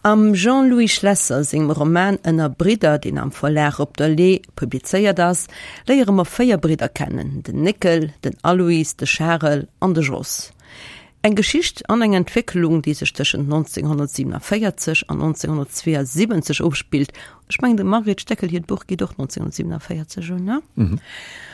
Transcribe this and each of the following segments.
Am Jean-Louis Schlesser sengem Roman Ënner Bridder, deen am Verlag Op der Le'h publizéiert ass, léiere mer 4 Bridder kennen, den Néckel, den Alois, de Charel an de Jos. Eng Geschicht an eng Entwécklung, déi sech tëschent 1947 an 1972 ofspillt. Ech mengen, dem Margret Steckel hiert Buch geet och 1947 un, ne? Mhm.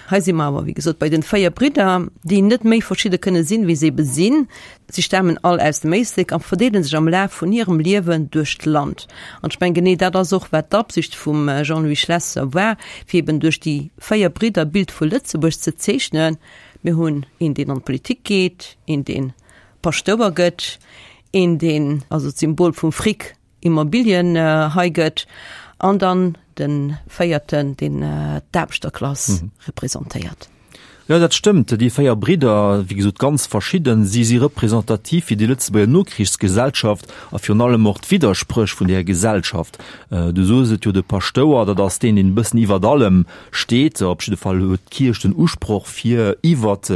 Hei si mer awer, wéi gesot, bei den 4 Bridder, déi net méi verschidde kënne sinn, wéi se ebe sinn. Si stamen all aus dem Éislek a verdeele sech am Laf vun hirem Liewen duerch d'Land. An ech mengen, genee dat ass och, wat d'Absicht vum Jean-Louis Schlesser war, fir eben duerch déi 4 Bridder d'Bild vu Lëtzebuerg ze zeechnen. Mir hunn een, deen an d'Politik geet, een, deen Paschtouer gëtt, een, deen also d'Symbol vum Fric, Immobilien hei gëtt, an dann de véierten, deen d'Aarbechterklass representéiert. Jo, dat stëmmt. Déi 4 Bridder, wéi gesot ganz verschidden, si si representativ fir déi Lëtzebuerger Nokrichsgesellschaft a virun allem och d'Widderspréch vun där Gesellschaft. Du soos et jo, de Paschtouer, dat ass deen, deen e bëssen iwwert allem steet. Op jidde Fall huet d'Kierch den Usproch, fir iwwert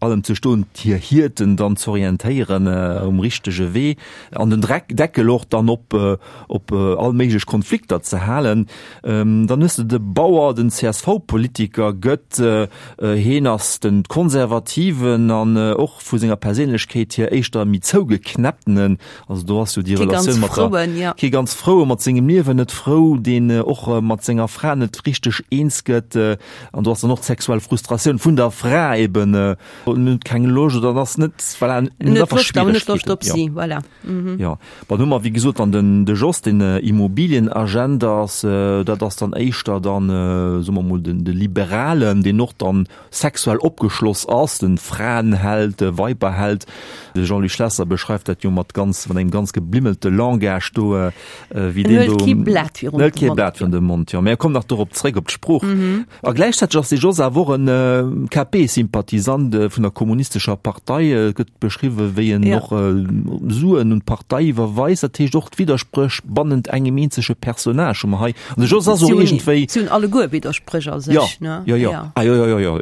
allem ze stoen, hir Hierten dann z'orientéieren um richtege Wee an den Dreck Deckel och dann op op all méiglech Konflikter ze halen. Dann hues de de Bauer, den CSV-Politiker gëtt, heen ass den Konservativen an och vu senger Perséinlechkeet hier éischter méi zougeknäpptenen, also do ass jo déi Relatioun mat der, kee ganz froue, mat sengem Liewen net frou, deen och mat senger Fra net richteg eens gëtt. An do ass dann och d'sexuell Frustratioun vun der Fra eben, en huet keng Loscht oder ass net, voilà, en huet einfach Schwieregkeeten. Op si, voilà. Jo, bon, hu mer wéi gesot dann den de Jos, den Immobilienagent ass, dat ass dann éischter dann, soe mer mol, den de Liberalen, deen och dann sexuell opgeschloss ass, den Fraenheld, de Weiberheld. De Jean-Louis Schlesser beschreift dat jo mat ganz, mat engem ganz geblimmelte Langage do, Wéi deen do. Kee Blat virun de Mond. Kee Blat virun de Mond, jo. Mä komm nach dorop zréck, op d'Sprooch. A gläichzäiteg ass de Jos awer och en KP-Sympathisant vun der Kommunistescher Partei. Et gëtt beschriwwen, wéi en och Suen un d'Partei iwwerweist. Dat heescht och d'Widderspréch bannent engem eenzege Personnage hu mer hei. An de Jos ass och iergendwéi. Si hunn alleguer Widderspréch a sech, ne? Jo, jo, jo. Ah, jo, jo, jo, jo.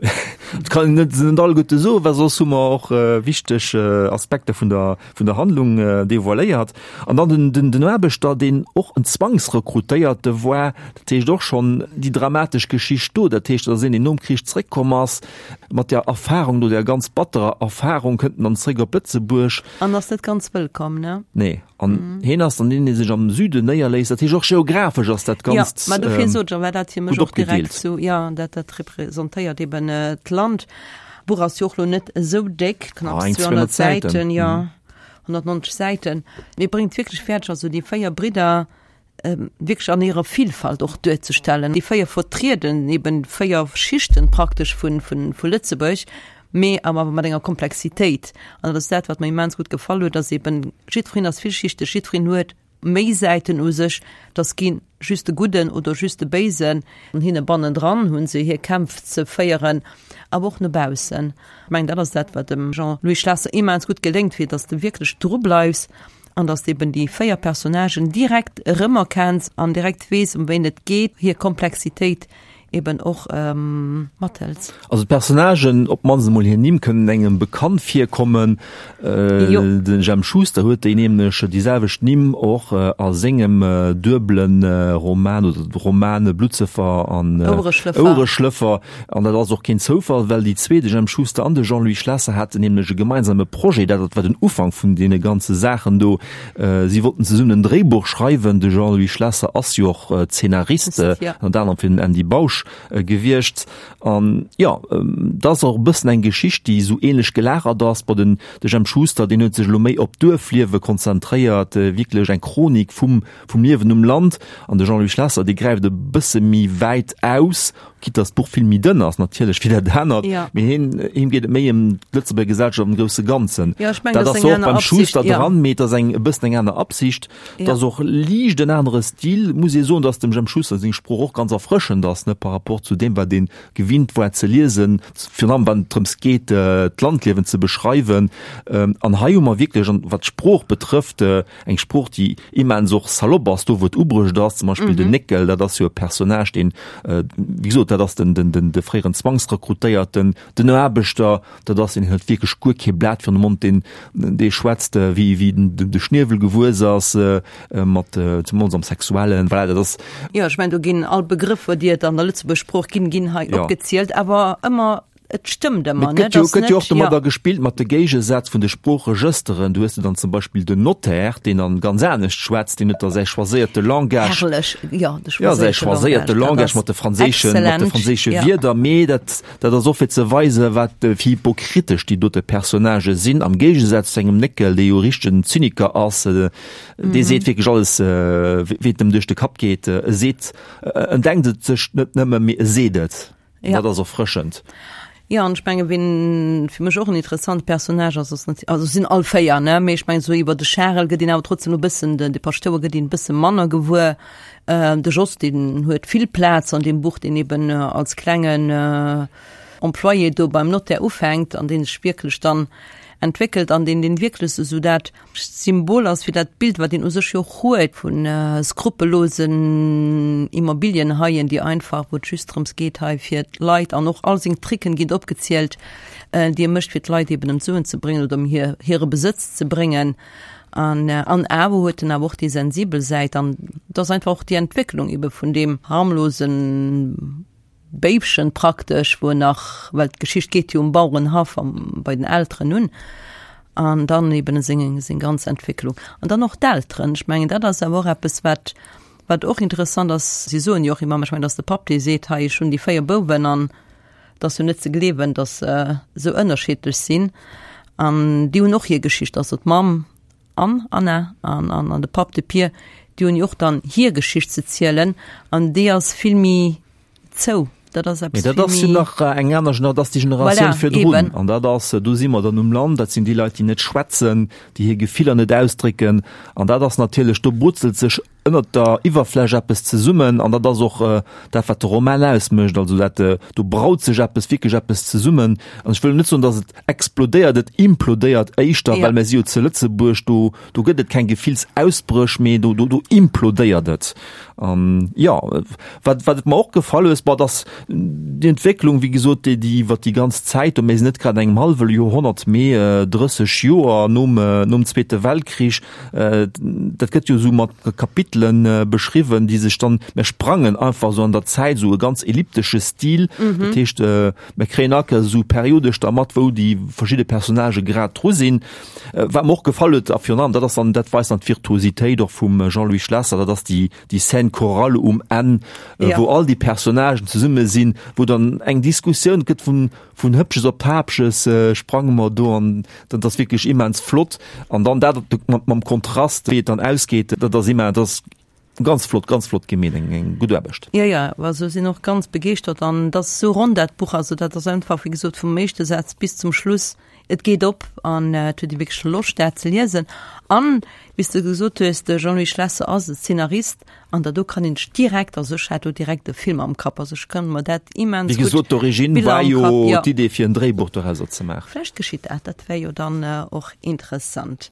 Et kann een net, se net alleguerte soen, well soss hu mer och wichteg Aspekter vun der, vun der Handlung devoiléiert. An dann den, den, den Aarbechter, deen och en Zwangsrekrutéierte war, dat heescht och schonn déi dramatesch Geschicht do, dat heescht, dat ass een, deen nom Krich zréckkomm ass, mat där Erfahrung do, där ganz batterer Erfahrung, kënnt en dann zréck op Lëtzebuerg. An ass net ganz wëllkomm, ne? Nee. An heen ass dann deen, dee sech am Süden néierléisst. Dat heescht, och geographesch ass dat Ganzt gutt opgedeelt. Jo, mä dofir sot ech, a war dat fir mech och direkt sou, jo, dat, dat representéiert eben d'Land. D'Buch ass jo och lo net esou déck, knapps 200 Säiten, jo. 190 Säiten, mee bréngt wierklech fäerdeg, also déi 4 Bridder wierklech an hirer Vielfalt och duerzestellen. Déi 4 vertrieden eben 4 Schichten praktesch vun, vun, vu Lëtzebuerg, mee awer mat enger Komplexitéit. An dat ass dat, wat mer immens gutt gefall huet, dass eben jiddwereen ass villschichteg, jiddwereen huet méi Säiten u sech, dass keen just de Gudden oder just de Béisen, an hinne bannendran hu se hir Kämpf ze féieren, awer och no baussen. Ech mengen, dat ass dat, wat dem Jean-Louis Schlesser immens gutt geléngt, fir dass de wierklech dru bleifs an dass de eben déi 4 Personnagen direkt erëmerkenns an direkt weess, ëm wéin et geet, hir Komplexitéit eben och mathëls. Also d'Personnagen, op d'mannst emol hir Nimm, kënnen engem bekannt virkommen. De Jemp Schuster huet déi nämlech déi selwecht Nimm och a sengem duebele Roman oder Romane Bluttsëffer an Ouereschlëffer. An dat ass och keen Zoufall, well déi zwee, de Jemp Schuster an de Jean-Louis Schlesser, haten nämlech e gemeinsame Projet. Dat war den Ufank vun deene ganze Saachen do. Si wollten zesummen en Dréibuch schreiwen. De Jean-Louis Schlesser ass jo och Zeenarist, ënnert anerem fir den Andy Bausch gewiescht. An jo, dat ass och e bëssen eng Geschicht, déi esou ähnlech gelagert ass. Bon, den de Jemp Schuster, deen huet sech elo méi op d'Duerfliewe konzentréiert, wierklech eng Chronik vum vum Liewen um Land. An de Jean-Louis Schlesser, dee gräift e bësse méi wäit aus, quitte dass d'Buch vill méi dënn ass natierlech wéi dat anert, ja. mee hien, him geet et méi ëm d'Lëtzebuerger Gesellschaft am grousse Ganzen. Ja, ech mengen, dat ass och beim Schuster ja. dran, mee et ass eng e bëssen eng aner Absicht. Ja. Et ass och liicht en anere Stil, muss ee soen, dass dem Jemp Schuster seng Sprooch och ganz erfrëschend ass, ne, par. par rapport zu deem, wat ee gewinnt war ze liesen, virun allem wann et drëms geet, d'Landliewen ze beschreiwen. An hei hu mer wierklech, an wat d'Sprooch betrëfft, eng Sprooch, déi immens och salopp ass, do wou et ubruecht ass, zum Beispill den Néckel, dat ass jo e Personnage, deen, wéi gesot, dat ass den, den, den, de fréieren Zwangsrekrutéierten, den Aarbechter, dat ass een, deen huet wierklech guer kee Blat virun de Mond, deen, dee schwätzt wéi, wéi den, de Schniewel gewuess ass, mat, zemools am Sexuellen, voilà, dat ass. Jo, ech mengen, do ginn all Begrëffer, déi et an der Lëtzebuerg Sprooch ginn, ginn hei opgezielt, awer ëmmer Et stëmmt ëmmer, ne? Et gëtt jo och domadder gespillt mat de Géigesätz vun de Sproocheregësteren. Du hues de dann zum Beispill den Notaire, deen dann ganz anescht schwätzt, deen huet da säi choiséierte Langage. Herrlech, jo, de choiséierte Langage. Ja, säi choiséierte Langage mat de franséischen, mat de franséische Wierder. Mee dat, dat ass och fir ze weisen, wat fir hypokritesch déi dote Personnagë sinn, am Géigesaz zu engem Néckel, dee jo e richtegen Zyniker ass, dee seet wierklech alles, wéi et em duerch de Kapp geet. E seet, en denkt et sech net nëmme, mee e seet et. Ja. Dat ass erfrëschend. Ja, an ech menge wien fir mech och en interessante Personnage ass, ass nat also sinn all 4 ne, mee ech mengen esou iwwer de Charel gëtt een awer trotzdem e bëssen, den de Paschtouer gëtt een e bësse manner gewuer. Äh, de Jos deen huet vill Plaz an deem Buch, deen eben als klengen äh, Employé do beim Notaire ufänkt an deen sech wierklech dann entwéckelt an deen deen wierklech esou dat Symbol ass fir dat Bild, wat een u sech jo och huet vu skrupellosen Immobilienhaien, déi einfach, wou et just drëms geet hei fir d'Leit, an och all seng Tricken ginn opgezielt, déi e mécht fir d'Leit eben ëm d'Suen ze bréngen oder ëm hir hire Besëtz ze bréngen. An an awer huet en awer och déi sensibel Säit an et ass einfach och déi Entwécklung ebe vun deem harmlosen Béifchen praktesch, wou en nach, well d'Geschicht geet jo um Bauerenhaff am, bei den Elteren un, an dann eben seng, seng ganz Entwécklung. An dann och d'Elteren, ech mengen dat ass awer och eppes wat, wat och interessant ass, si soen jo och ëmmer, ech mengen et ass de Papp dee seet, hei ech hunn déi 4 Bouwen an et ass jo net ze gleewen, datt se esou ënnerschiddlech sinn an déi hunn och hir Geschicht, also d'Mamm An Anna an an an de Papp, de Pier, déi hunn jo och dann hir Geschicht ze zielen an déi ass vill méi zou. Dat ass eppes Mee dat ass jo nach eng aner Gener, dat ass déi Generatioun voilà, virdrun. Eben. An dat ass, do si mer dann um Land, dat sinn déi Leit, déi net schwätzen, déi hir Gefiller net ausdrécken. An dat ass natierlech, do brutzelt sech ënnert der Iwwerfläch eppes zesummen an dat ass och dat, wat de Roman ausmécht. Also dat, do braut sech eppes, wierklech eppes zesummen. An ech wëll net soen, datt et explodéiert, et implodéiert éischter, well mir si jo zu Lëtzebuerg, do, do gëtt et keng Gefillsausbréch, mee do, do, do implodéiert et. An jo, wat, wat et mer och gefall hues, bon, dass déi Entwécklung, wéi gesot, déi, déi iwwert déi ganz Zäit, do mir sinn net grad an engem hallwe Joerhonnert, mee 30 Joer nom, nom Zweete Weltkrich, dat gëtt jo esou mat Kapitelen beschriwwen, déi sech dann, mir sprangen einfach esou an der Zäit, esou e ganz elliptesche Stil, dat heescht, Mir kréien all Kéiers esou periodesch da mat, wou déi verschidde Personnagë grad dru sinn. Wat mer och gefall huet, a virun allem, dat ass dann, dat weist dann d'Virtuositéit och vum Jean-Louis Schlesser, dat ass déi, déi Scène chorale um Enn, wou all déi Personnagen zesumme sinn, wou dann eng Diskussioun gëtt vun, vun Hëppches op Paapches sprange mer do an dat ass wierklech immens flott. An dann dat mam Kontrast, wéi et dann ausgeet, dat ass immens, dat ass Ganz flott, ganz flott gemeet, eng eng gutt Aarbecht. Jo, jo, also sinn och ganz begeeschtert an et ass esou ronn dat Buch, also dat ass einfach wéi gesot vum éischte Saz bis zum Schluss, et geet op an et huet ee wierklech Loscht dat ze liesen. An wéi s de gesot hues, de Jean-Louis Schlesser ass e Szenarist an da do kann een sech direkt, also ech hat do direkt e Film am Kapp, also ech kann mer dat immens Wéi gutt gesot, d'Origine Biller war am jo Kapp, jo. d'Idee fir en Dréibuch dorauser ze maachen. Vläicht geschitt dat, dat wär jo dann och interessant.